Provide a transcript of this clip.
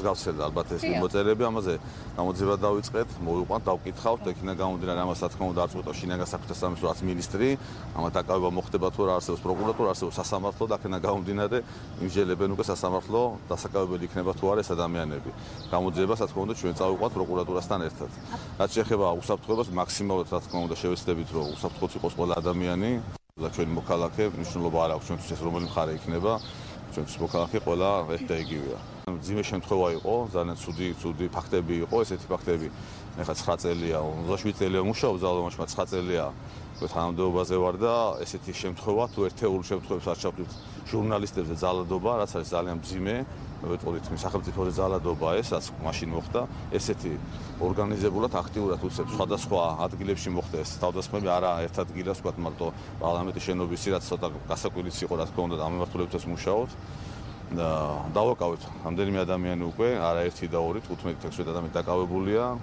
გავცელდა ალბათ ეს მოწერები, ამაზე გამოძიება დავიწყეთ, მოვიყვანთ, დავკითხავთ, იქნა გამომდინარე ამას, რა თქმა უნდა, არ წყვეტავს შინაგან საქმეთა სამინისტროს მინისტრი, ამათ დაკავება მოხდება თუ რა არსებობს პროკურატურა, არსებობს სასამართლო და აქედან გამომდინარე იმსჯელებენ უკვე სასამართლო დასაკავებელი იქნება თუ არა ეს ადამიანები. გამოძიებას, რა თქმა უნდა, ჩვენ წავიყვანთ პროკურატურასთან ერთად. რაც შეეხება უსაფრთხოებას, მაქსიმალურად რა თქმა უნდა შევეცდებით, რომ უსაფრთხოდ იყოს ყველა ადამიანი და ჩვენი მოქალაქე, მნიშვნელობა არ აქვს ჩვენთვის ეს რომელი მხარე იქნება. ჩვენთვის მოქალაქე ყველა ერთ და იგივეა. მძიმე შემთხვევა იყო, ძალიან ცუდი ფაქტები იყო, ესეთი ფაქტები. ეხლა 9 წელია, 27 წელია მუშაობ ძალოვანში, 9 წელია თანამდებობაზე ვარ და ესეთი შემთხვევა თუ ერთეულ შემთხვევებს არ ჩავთვლით ჟურნალისტებზე ძალადობა, რაც არის ძალიან მძიმე, ვეტყოდით სახელმწიფოზე ძალადობა ეს, რაც მაშინ მოხდა, ესეთი ორგანიზებულად აქტიურად უწევს სხვადასხვა ადგილებში მოხდა ეს თავდასხმები, არა ერთ ადგილას, ვთქვათ, მარტო პარლამენტის შენობისში, რაც ცოტა გასაკვირიც იყო, რა თქმა უნდა, ამ მიმართულებითაც მუშაობთ. და დავაკავეთ რამდენიმე ადამიანი უკვე, არა ერთი და ორი, 15-16 ადამიანი დაკავებულია.